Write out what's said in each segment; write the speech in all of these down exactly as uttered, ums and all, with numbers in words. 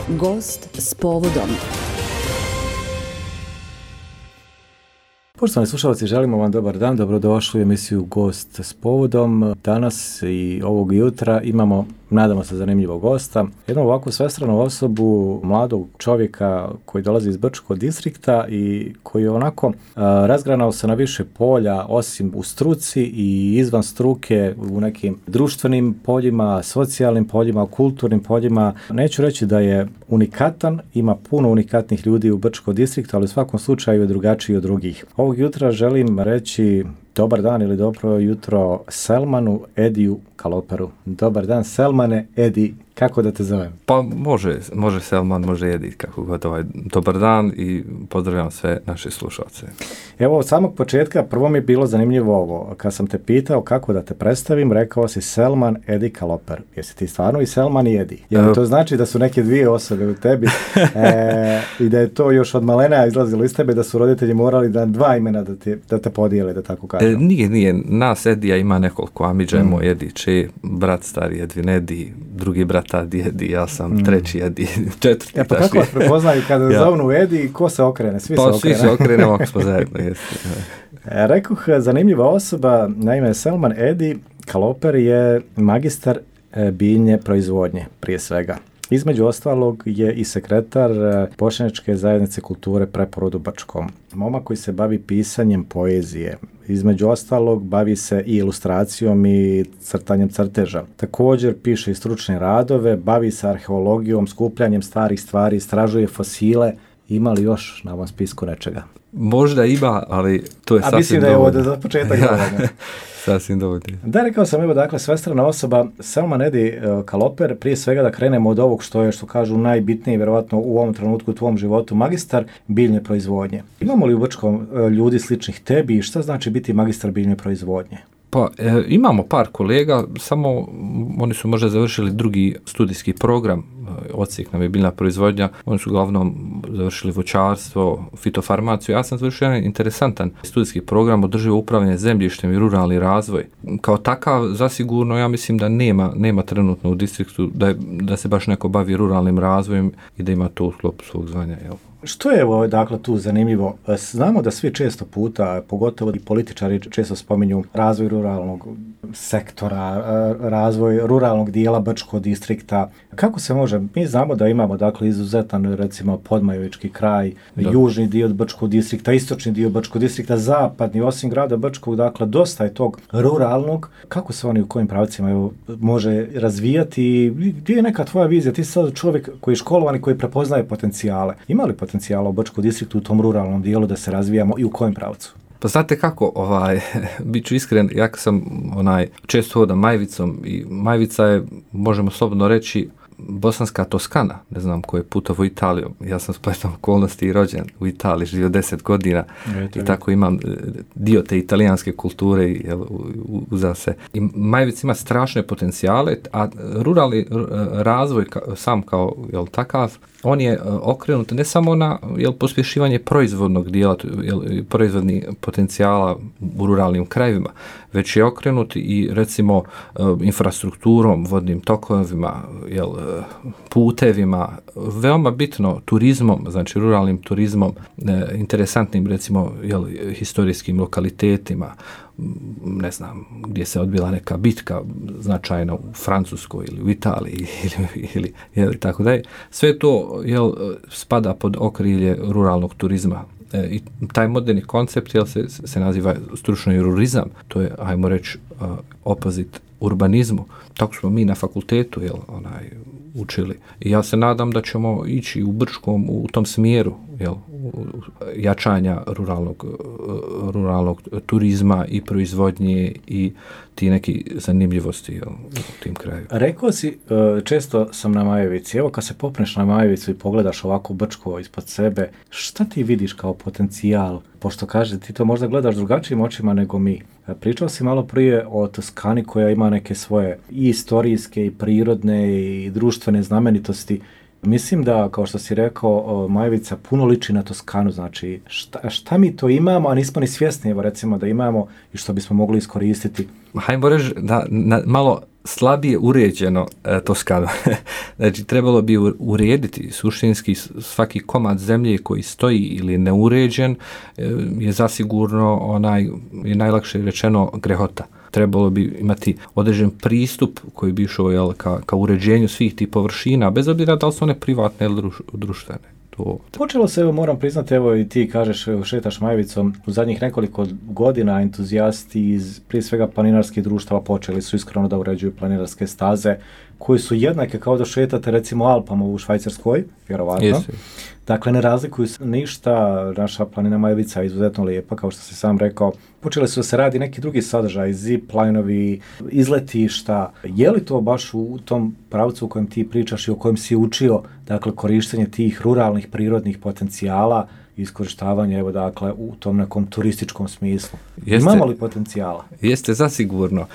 Gost s povodom. Poštovani slušalci, želimo vam dobar dan, dobrodošli u emisiju Gost s povodom. Danas i ovog jutra imamo, nadamo se, zanimljivog gosta. Jednu ovakvu svestranu osobu, mladog čovjeka koji dolazi iz Brčkog distrikta i koji je onako a, razgranao se na više polja, osim u struci i izvan struke, u nekim društvenim poljima, socijalnim poljima, kulturnim poljima. Neću reći da je unikatan, ima puno unikatnih ljudi u Brčkom distriktu, ali u svakom slučaju je drugačiji od drugih. Ovog jutra želim reći dobar dan ili dobro jutro Selmanu Ediju Kaloperu. Dobar dan Selmane, Edi, kako da te zovem? Pa može, može Selman, može Edi, kako god ovaj. Dobar dan i pozdravljam sve naše slušalce. Evo, od samog početka prvo mi je bilo zanimljivo ovo. Kad sam te pitao kako da te predstavim, rekao si Selman Edi Kaloper. Jesi ti stvarno i Selman i Edi? Jer to znači da su neke dvije osobe u tebi e, i da je to još od malena izlazilo iz tebe, da su roditelji morali da dva imena da te, da te podijele, da tako kažem. E, nije, nije. Nas Edija ima nekoliko. Amidža je mm. moj Edi, če, brat stari Edvin Edi, drugi brat Adi Edi, ja sam mm. treći Edi, četvrti. E pa kako vas prepoznaju kada ja. zovnu Edi, ko se okrene? Svi pa, se okrene. Pa svi se okrenemo ako smo zajedno. Jeste. E, rekoh, zanimljiva osoba, naime Selman Edi Kaloper je magistar e, biljne proizvodnje, prije svega. Između ostalog je i sekretar Bošnjačke zajednice kulture Preporod u Brčkom. Momak koji se bavi pisanjem poezije. Između ostalog bavi se i ilustracijom i crtanjem crteža. Također piše i stručne radove, bavi se arheologijom, skupljanjem starih stvari, istražuje fosile. Ima li još na ovom spisku nečega? Možda ima, ali to je A sasvim mislim da je ovo za početak dovoljno. Sasvim dovoljno. Da, rekao sam, evo, dakle, svestrana osoba, Selman Edi Kaloper, prije svega da krenemo od ovog što je, što kažu, najbitnije, vjerovatno u ovom trenutku u tvom životu, magistar biljne proizvodnje. Imamo li u Brčkom ljudi sličnih tebi i šta znači biti magistar biljne proizvodnje? Pa e, imamo par kolega, samo oni su možda završili drugi studijski program, odsjek nam je biljna proizvodnja, oni su uglavnom završili voćarstvo, fitofarmaciju. Ja sam završio jedan interesantan studijski program održivo upravljanje zemljištem i ruralni razvoj. Kao takav, zasigurno, ja mislim da nema, nema trenutno u distriktu da, je, da se baš neko bavi ruralnim razvojem i da ima to u sklopu svog zvanja. Jel? Što je ovo, dakle, tu zanimljivo? Znamo da svi često puta, pogotovo i političari često spominju razvoj ruralnog sektora, razvoj ruralnog dijela Brčkog distrikta. Kako se može? Mi znamo da imamo, dakle, izuzetan, recimo, Podmajovički kraj, da. Južni dio Brčkog distrikta, istočni dio Brčkog distrikta, zapadni, osim grada Brčkog, dakle, dosta je tog ruralnog. Kako se oni u kojim pravcima evo, može razvijati? Gdje je neka tvoja vizija? Ti si sad čovjek koji je školovan i koji prepoznaje potencijale. Ima li potencijala u Brčkom distriktu u tom ruralnom dijelu da se razvijamo i u kojem pravcu? Pa znate kako, ovaj, bit ću iskren, ja sam onaj, često hodam Majvicom i Majvica je, možemo slobodno reći, bosanska Toskana, ne znam koji je putovao Italijom. Ja sam spletom okolnosti i rođen u Italiji, živio deset godina Eto, i tako imam dio te italijanske kulture jel, uza se. I Majvic ima strašne potencijale, a ruralni razvoj sam kao jel, takav, on je okrenut ne samo na jel, pospješivanje proizvodnog dijela, jel, proizvodnih potencijala u ruralnim krajevima, već je okrenut i recimo infrastrukturom, vodnim tokovima, jel, putevima, veoma bitno turizmom, znači ruralnim turizmom, interesantnim recimo jel, historijskim lokalitetima, ne znam, gdje se odbila neka bitka značajna u Francuskoj ili u Italiji ili, ili, ili tako dalje. Sve to jel, spada pod okrilje ruralnog turizma. E, i taj moderni koncept jel, se, se naziva stručni rurizam. To je, ajmo reći, uh, opozit urbanizmu. Tako smo mi na fakultetu jel, onaj, učili. I ja se nadam da ćemo ići u Brčkom u tom smjeru jel, jačanja ruralnog, ruralnog turizma i proizvodnje i ti neki zanimljivosti jel, u tim kraju. Rekao si, često sam na Majevici, evo kad se popneš na Majevicu i pogledaš ovako Brčko ispod sebe, šta ti vidiš kao potencijal? Pošto kaže, ti to možda gledaš drugačijim očima nego mi. Pričao si malo prije o Toskani koja ima neke svoje i istorijske i prirodne i društvene znamenitosti. Mislim da, kao što si rekao, Majevica puno liči na Toskanu, znači šta, šta mi to imamo, a nismo ni svjesni, evo recimo da imamo i što bismo mogli iskoristiti. Hajmo reći da na, malo slabije uređeno e, Toskanu. Znači, trebalo bi urediti suštinski svaki komad zemlje koji stoji ili neuređen e, je zasigurno onaj, je najlakše rečeno, grehota. Trebalo bi imati određen pristup koji bi išao jel, ka, ka uređenju svih tih površina, bez obzira da li su one privatne ili druš, društvene. To... Počelo se, evo, moram priznati, evo i ti kažeš, šetaš Majvicom, u zadnjih nekoliko godina entuzijasti iz prije svega planinarskih društava počeli su iskreno da uređuju planinarske staze koje su jednake kao da šetate recimo Alpama u Švajcarskoj, vjerovatno. Jesi. Dakle, ne razlikuju se ništa, naša planina Majvica je izuzetno lijepa, kao što si sam rekao. Počeli su da se radi neki drugi sadržaj, zip-linovi, izletišta. Je li to baš u tom pravcu u kojem ti pričaš i o kojem si učio, dakle, korištenje tih ruralnih prirodnih potencijala i iskorištavanje, evo, dakle, u tom nekom turističkom smislu? Jeste, imamo li potencijala? Jeste, zasigurno.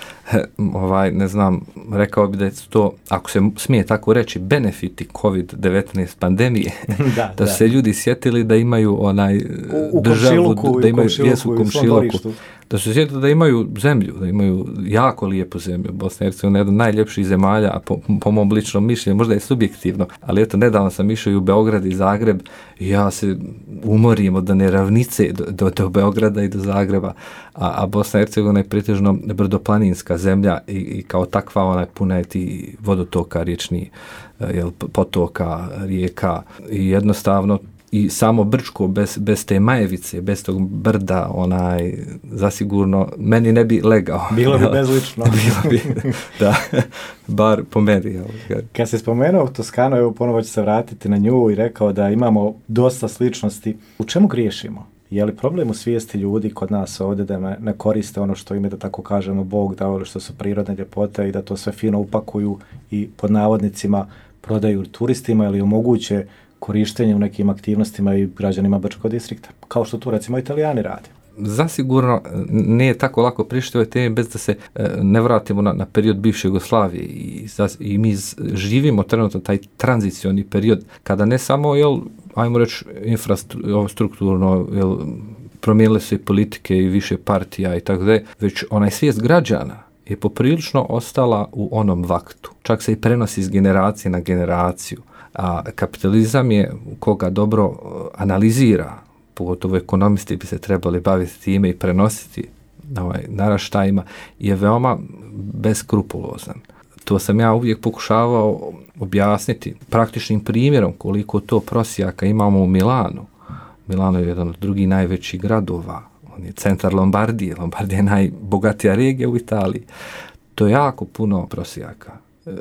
Ovaj, ne znam, rekao bi da je to, ako se smije tako reći, benefiti kovid devetnaest pandemije, da, da, da se ljudi sjetili da imaju onaj u, u državu, da imaju jesu u komšiluku, da su sjetili da imaju zemlju, da imaju jako lijepu zemlju. Bosna i Hercegovina je jedna od najljepših zemalja, a po, po mom ličnom mišljenju, možda je subjektivno, ali eto, nedavno sam išao i u Beograd i Zagreb i ja se umorim od dane ravnice do, do, do Beograda i do Zagreba, a, a Bosna i Hercegovina je pretežno brdoplaninska zemlja i, i kao takva ona je puna je ti vodotoka, riječni, jel, potoka, rijeka i jednostavno i samo Brčko bez, bez te Majevice, bez tog brda, onaj, zasigurno, meni ne bi legao. Bilo bi bezlično. Bilo bi, da, bar po meni. Kad se spomenuo Toskanu, evo ponovo ću se vratiti na nju i rekao da imamo dosta sličnosti. U čemu griješimo? Je li problem u svijesti ljudi kod nas ovdje da ne, ne koriste ono što im je, da tako kažemo, Bog dao, ili što su prirodne ljepote i da to sve fino upakuju i pod navodnicima prodaju turistima ili omoguće korištenje u nekim aktivnostima i građanima Brčkog distrikta, kao što tu recimo Italijani rade? Zasigurno nije tako lako prišti ove teme bez da se ne vratimo na, na period bivše Jugoslavije i, i mi živimo trenutno taj tranzicioni period kada ne samo, jel, ajmo reći, infrastrukturno, jel, promijenile se i politike i više partija i tako da, već onaj svijest građana je poprilično ostala u onom vaktu. Čak se i prenosi iz generacije na generaciju. A kapitalizam je, koga dobro analizira, pogotovo ekonomisti bi se trebali baviti time i prenositi ovaj, naraštajima, je veoma beskrupulozan. To sam ja uvijek pokušavao objasniti praktičnim primjerom koliko to prosjaka imamo u Milanu. Milano je jedan od drugih najvećih gradova. On je centar Lombardije. Lombardija je najbogatija regija u Italiji. To je jako puno prosjaka.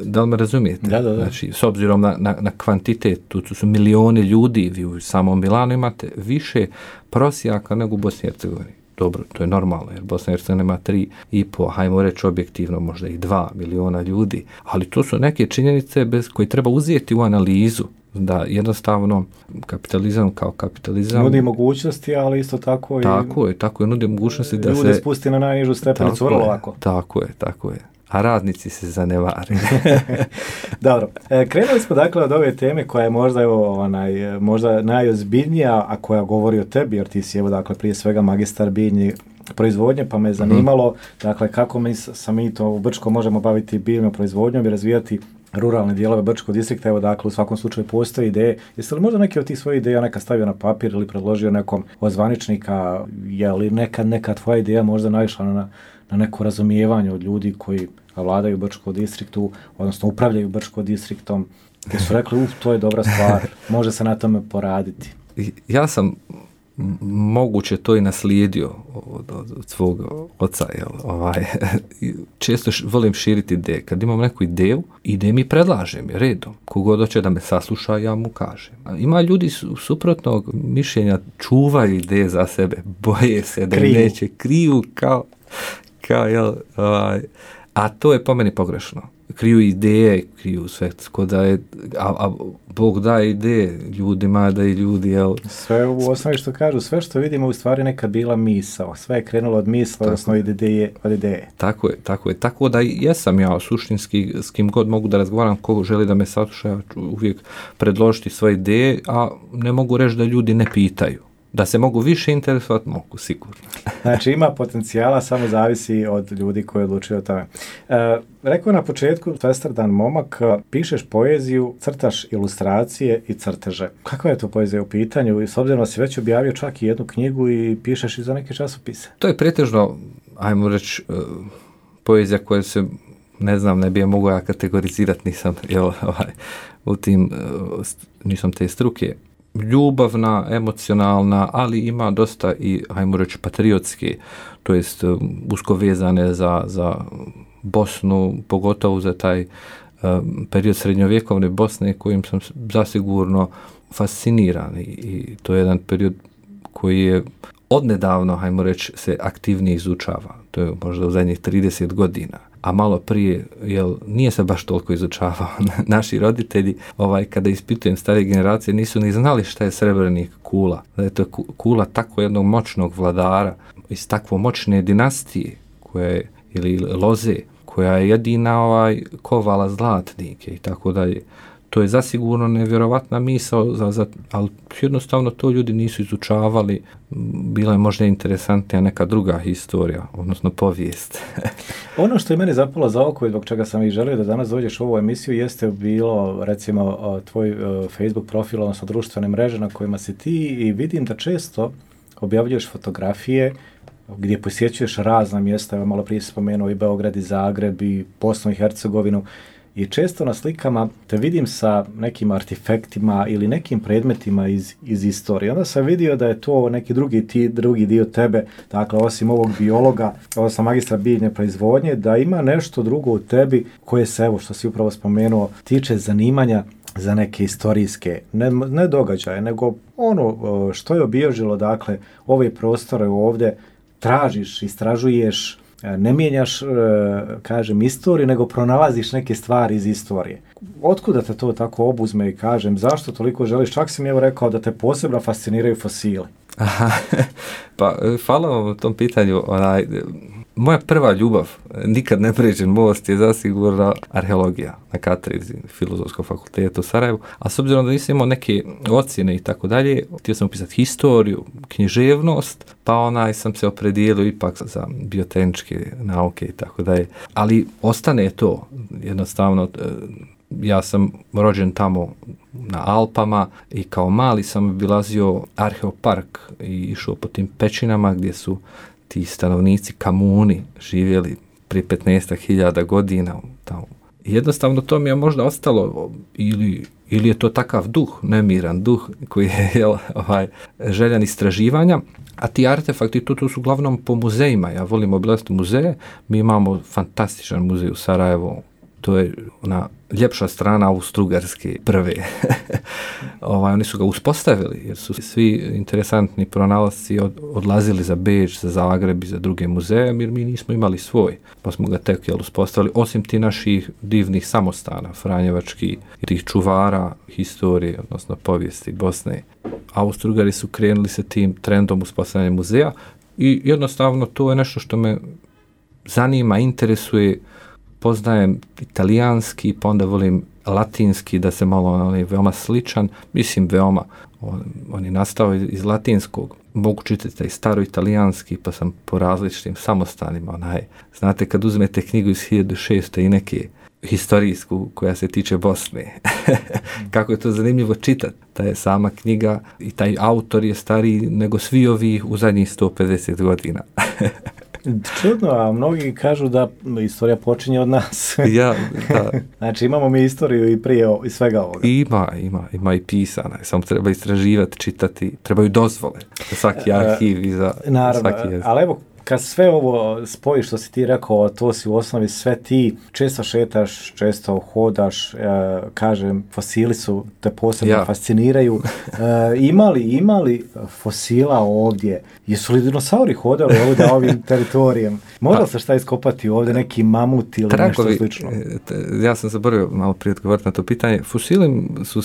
Da li me razumijete? Da, da, da. Znači, s obzirom na, na, na kvantitet, tu su milioni ljudi, vi u samom Milanu imate više prosjaka nego u Bosni i Hercegovini. Dobro, to je normalno, jer Bosna i Hercegovina ima tri i po, hajmo reći objektivno, možda i dva miliona ljudi, ali to su neke činjenice bez koje treba uzeti u analizu, da jednostavno kapitalizam kao kapitalizam nudi mogućnosti, ali isto tako i tako je, tako je, nudi mogućnosti da ljude se spusti na najnižu stepenicu vrlo lako. Tako je, tako je. A radnici se zanevari. Dobro, e, krenuli smo dakle od ove teme koja je možda, evo, onaj, možda najozbiljnija, a koja govori o tebi, jer ti si, evo, dakle, prije svega magistar biljni proizvodnje, pa me je zanimalo, mm-hmm. dakle, kako mi sa mi to u Brčko možemo baviti biljnom proizvodnjom i razvijati ruralne dijelove Brčkog distrikta. Evo, dakle, u svakom slučaju postoje ideje. Jeste li možda neke od tih svojih ideja neka stavio na papir ili predložio nekom od zvaničnika? Je li neka, neka tvoja ideja možda naišla na, na neko razumijevanje od ljudi koji vladaju Brčkog distriktu, odnosno upravljaju Brčkog distriktom, gdje su rekli, uf, to je dobra stvar, može se na tome poraditi? Ja sam moguće to i naslijedio od, od, od svog oca. Jel, ovaj, često š, volim širiti ideje. Kad imam neku ideju, ide mi predlažem je redom. Kogod hoće da me sasluša, ja mu kažem. A ima ljudi su, suprotnog mišljenja, čuvaju ideje za sebe, boje se da kriju. Neće, kriju kao, kao jel, ovaj, a to je po meni pogrešno. Kriju ideje, kriju sve, da je, a, a Bog daje ideje ljudima, da i ljudi, jel... Sve u osnovi što kažu, sve što vidimo u stvari neka bila misao, sve je krenulo od misla, odnosno od ideje, od ideje. Tako je, tako je, tako da jesam ja suštinski, s kim god mogu da razgovaram, kogo želi da me sasluša, uvijek predložiti svoje ideje, a ne mogu reći da ljudi ne pitaju. Da se mogu više interesovati, mogu sigurno. Znači ima potencijala, samo zavisi od ljudi koji odlučuju o tome. E, rekao na početku, svestrdan momak, pišeš poeziju, crtaš ilustracije i crteže. Kakva je to poezija u pitanju? I s obzirom da si već objavio čak i jednu knjigu i pišeš i za neke časopise. To je pretežno, ajmo reći, poezija koja se, ne znam, ne bi je mogao ja kategorizirati, nisam, jel, ovaj, u tim, nisam te struke. Ljubavna, emocionalna, ali ima dosta i, hajmo reći, patriotske, to jest usko vezane za, za Bosnu, pogotovo za taj um, period srednjovjekovne Bosne kojim sam zasigurno fasciniran i, i to je jedan period koji je odnedavno, hajmo reći, se aktivnije izučava. To je možda u zadnjih trideset godina. A malo prije, jel, nije se baš toliko izučavao. Naši roditelji, ovaj, kada ispitujem stare generacije, nisu ni znali šta je Srebrenik kula. Da je to kula tako jednog moćnog vladara iz takvo moćne dinastije, koja je, ili loze, koja je jedina ovaj, kovala zlatnike i tako dalje. To je zasigurno nevjerovatna misao, za, za, ali jednostavno to ljudi nisu izučavali. Bila je možda interesantnija neka druga historija, odnosno povijest. Ono što je meni zapalo za oko i zbog čega sam i želio da danas dođeš u ovu emisiju jeste bilo, recimo, tvoj Facebook profil, odnosno društvene mreže na kojima si ti i vidim da često objavljuješ fotografije gdje posjećuješ razna mjesta, evo malo prije spomenuo i Beograd i Zagreb i Bosnu i Hercegovinu. I često na slikama te vidim sa nekim artefaktima ili nekim predmetima iz, iz istorije. Onda sam vidio da je to neki drugi, ti, drugi dio tebe, dakle osim ovog biologa, odnosno magistra biljne proizvodnje, da ima nešto drugo u tebi koje se, evo što si upravo spomenuo, tiče zanimanja za neke istorijske, ne, ne događaje, nego ono što je obilježilo, dakle, ove prostore ovdje, tražiš, istražuješ, ne mijenjaš, kažem, istoriju, nego pronalaziš neke stvari iz istorije. Otkuda te to tako obuzme i kažem, zašto toliko želiš? Čak si mi evo rekao da te posebno fasciniraju fosili. Aha, pa hvala vam u tom pitanju. Onaj, moja prva ljubav, nikad ne pređen most, je zasigurno arheologija na katedri Filozofskog fakulteta u Sarajevu, a s obzirom da nisam imao neke ocjene i tako dalje, htio sam upisati historiju, književnost, pa onaj sam se opredijelio ipak za biotehničke nauke i tako dalje. Ali ostane to, jednostavno, ja sam rođen tamo na Alpama i kao mali sam obilazio arheopark i išao po tim pećinama gdje su ti stanovnici Kamuni živjeli prije petnaest hiljada godina tamo. Jednostavno to mi je možda ostalo ili, ili je to takav duh, nemiran duh koji je jel, ovaj, željan istraživanja, a ti artefakti to, to su uglavnom po muzejima. Ja volim obilaziti muzeje, mi imamo fantastičan muzej u Sarajevu, to je ona ljepša strana Austro-Ugarske prve. ovaj, oni su ga uspostavili jer su svi interesantni pronalasci od, odlazili za Beč, za Zagreb i za druge muzeje, jer mi nismo imali svoj. Pa smo ga tek jel, uspostavili, osim ti naših divnih samostana, franjevački, tih čuvara historije, odnosno povijesti Bosne. Austro-Ugari su krenuli sa tim trendom uspostavljanja muzeja i jednostavno to je nešto što me zanima, interesuje. Poznajem italijanski, pa onda volim latinski, da se malo, on je veoma sličan, mislim veoma, on, on je nastao iz, iz latinskog, mogu čitati taj staro italijanski, pa sam po različitim samostanima, onaj, znate kad uzmete knjigu iz hiljadu šesto i neke historijsku koja se tiče Bosne, kako je to zanimljivo čitati, ta je sama knjiga i taj autor je stariji nego svi ovi u zadnjih sto pedeset godina. Čudno, a mnogi kažu da istorija počinje od nas. ja, da. Znači imamo mi istoriju i prije i svega ovoga. Ima, ima, ima i pisana. Samo treba istraživati, čitati, trebaju dozvole za svaki arhiv i za Naravno, svaki jezik. Ali evo, kad sve ovo spojiš što si ti rekao, to si u osnovi sve ti, često šetaš, često hodaš, e, kažem, fosili su te posebno ja. fasciniraju. E, imali, imali fosila ovdje? Jesu li dinosauri hodali ovdje ovim teritorijem? Moralo se šta iskopati ovdje, neki mamut ili tragovi, nešto slično? Ja sam zaboravio malo prije odgovoriti na to pitanje. Fosili su,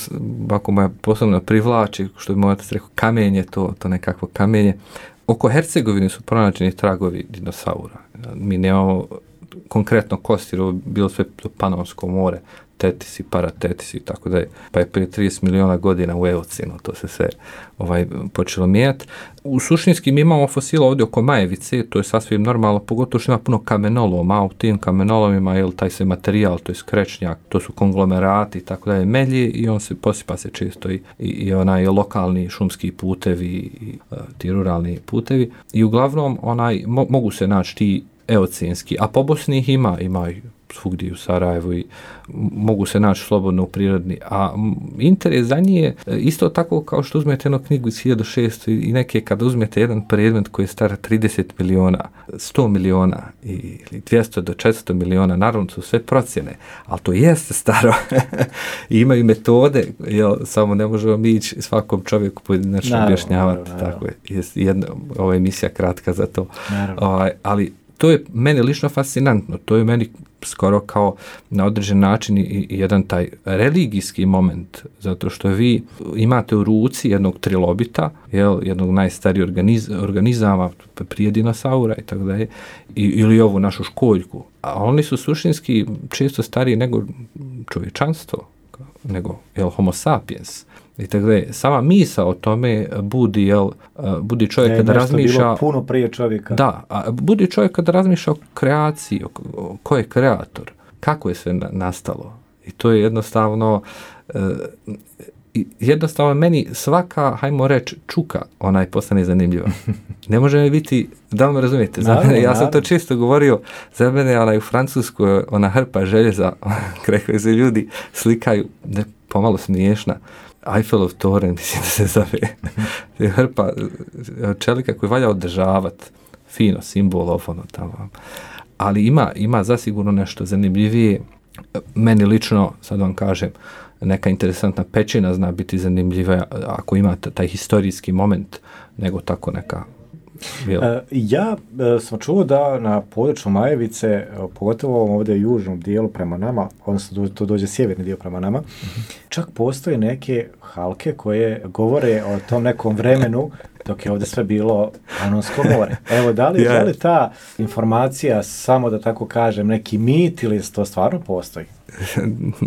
ako moja posebno privlači, što bi moj otac rekao, kamenje, to, to nekakvo kamenje. Oko Hercegovine su pronađeni tragovi dinosaura. Mi nemamo konkretno kosti, bilo sve Panonsko more, tetis i paratetis i tako da je, pa je prije trideset miliona godina u eocenu to se sve ovaj, počelo mijenjati. U suštinski mi imamo fosila ovdje oko Majevice, to je sasvim normalno, pogotovo što ima puno kamenoloma, a u tim kamenolomima je taj se materijal, to je skrečnjak, to su konglomerati i tako da je melje i on se posipa se često i, i, i onaj lokalni šumski putevi i uh, ti ruralni putevi i uglavnom onaj, mo, mogu se naći ti eocenski, a po Bosni ih ima, ima i svugdje u Sarajevu i mogu se naći slobodno u prirodni, a interes za njih je isto tako kao što uzmete jednu knjigu iz hiljadu šesto i neke kada uzmete jedan predmet koji je star trideset miliona, sto miliona ili dvjesto do četiristo miliona, naravno su sve procjene, ali to jeste staro i imaju metode, jel, samo ne možemo mi ići svakom čovjeku pojedinačno objašnjavati, tako je, jedna, ova emisija kratka za to, ovaj, ali to je meni lično fascinantno, to je meni skoro kao na određen način i, i jedan taj religijski moment, zato što vi imate u ruci jednog trilobita, jel, jednog najstarijih organiz, organizama, prije dinosaura i tako dalje, ili ovu našu školjku, a oni su suštinski često stariji nego čovječanstvo, nego jel, homo sapiens. I tako da je sama misa o tome budi, jel, budi čovjek je kada razmišlja... Bilo puno prije čovjeka. Da, a budi čovjek kada razmišlja o kreaciji, o, o, ko je kreator, kako je sve na, nastalo. I to je jednostavno... Uh, jednostavno meni svaka, hajmo reći, čuka, onaj postane zanimljiva. Ne može mi biti, da li me razumijete? Za mene, ja sam to često govorio, za mene onaj u Francuskoj, ona hrpa željeza, kraj koje se ljudi slikaju, ne, pomalo smiješna, Eiffelov toren, mislim da se zove, hrpa čelika koju valja održavati, fino, simbol, ono tamo. Ali ima, ima zasigurno nešto zanimljivije. Meni lično, sad vam kažem, neka interesantna pećina zna biti zanimljiva ako ima taj historijski moment, nego tako neka... E, ja e, sam čuo da na području Majevice, e, pogotovo ovdje u južnom dijelu prema nama, odnosno to dođe sjeverni dio prema nama, mm-hmm. čak postoje neke halke koje govore o tom nekom vremenu dok je ovdje sve bilo Panonsko more. Evo, da li, yeah. da li ta informacija, samo da tako kažem, neki mit ili to stvarno postoji?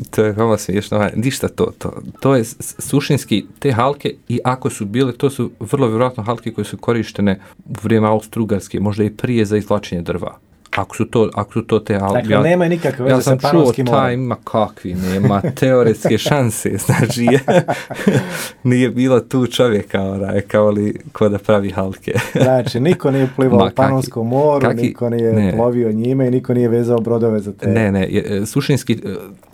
To je veoma smiješno, ništa to, to. To je suštinski te halke i ako su bile, to su vrlo vjerojatno halke koje su korištene u vrijeme Austro-Ugarske, možda i prije za izvlačenje drva. Ako su to, ako su to te halke. Dakle, ja, nema nikakve veze sa Panonskim morem. Ja sam čuo taj, ima kakvi, nema teoretske šanse, znači je, nije bilo tu čovjeka, onaj, kao li ko da pravi halke. Znači, niko nije plivao u Panonskom moru, kaki, niko nije ne. plovio njime i niko nije vezao brodove za te. Ne, ne, suštinski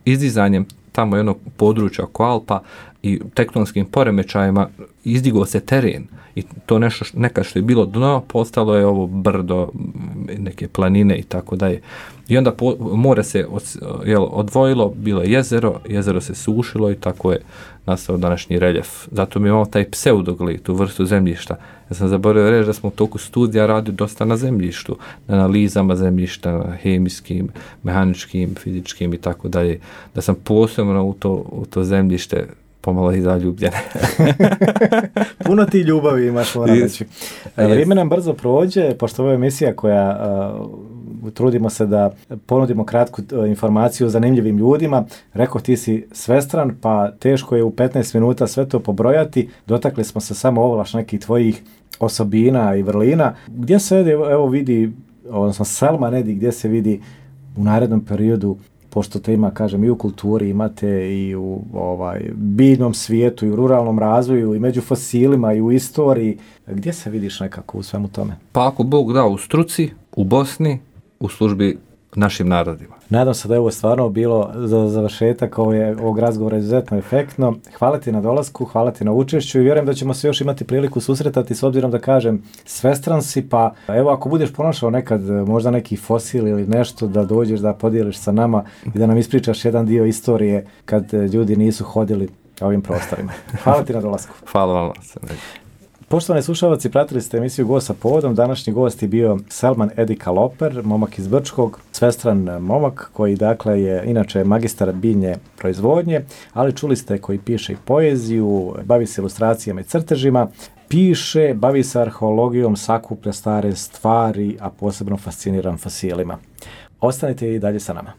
izdizanjem tamo jednog područja oko Alpa i tektonskim poremećajima izdigao se teren i to nešto nekad što je bilo dno postalo je ovo brdo, neke planine i tako dalje. I onda po, more se od, jel, odvojilo, bilo je jezero, jezero se sušilo i tako je nastao današnji reljef. Zato mi imamo taj pseudoglit, tu vrstu zemljišta. Ja sam zaboravio reći da smo u toku studija radili dosta na zemljištu, na analizama zemljišta, hemijskim, mehaničkim, fizičkim i tako dalje. Da sam posebno u to, u to zemljište pomalo i zaljubljen. Puno ti ljubavi imaš, moram reći. Vrijeme nam brzo prođe, pošto ovo je emisija koja uh, trudimo se da ponudimo kratku uh, informaciju o zanimljivim ljudima. Rekao, ti si svestran, pa teško je u petnaest minuta sve to pobrojati. Dotakli smo se samo ovlaš nekih tvojih osobina i vrlina. Gdje se evo vidi, odnosno Selman Edi, gdje se vidi u narednom periodu, pošto te ima, kažem, i u kulturi, imate i u ovaj, biljnom svijetu, i u ruralnom razvoju, i među fosilima, i u istoriji. Gdje se vidiš nekako u svemu tome? Pa ako Bog da, u struci, u Bosni, u službi našim narodima. Nadam se da je ovo stvarno bilo za završetak ovog razgovora izuzetno efektno. Hvala ti na dolasku, hvala ti na učešću i vjerujem da ćemo se još imati priliku susretati, s obzirom da kažem svestran si, pa evo ako budeš pronašao nekad možda neki fosil ili nešto, da dođeš da podijeliš sa nama i da nam ispričaš jedan dio istorije kad ljudi nisu hodili ovim prostorima. Hvala ti na dolasku. Hvala vam. Poštovani slušalci, pratili ste emisiju Gost sa povodom. Današnji gost je bio Selman Edi Kaloper, momak iz Brčkog, svestran momak koji dakle je inače magistar biljne proizvodnje, ali čuli ste koji piše i poeziju, bavi se ilustracijama i crtežima, piše, bavi se arheologijom, sakuplja stare stvari, a posebno fasciniran fosilima. Ostanite i dalje sa nama.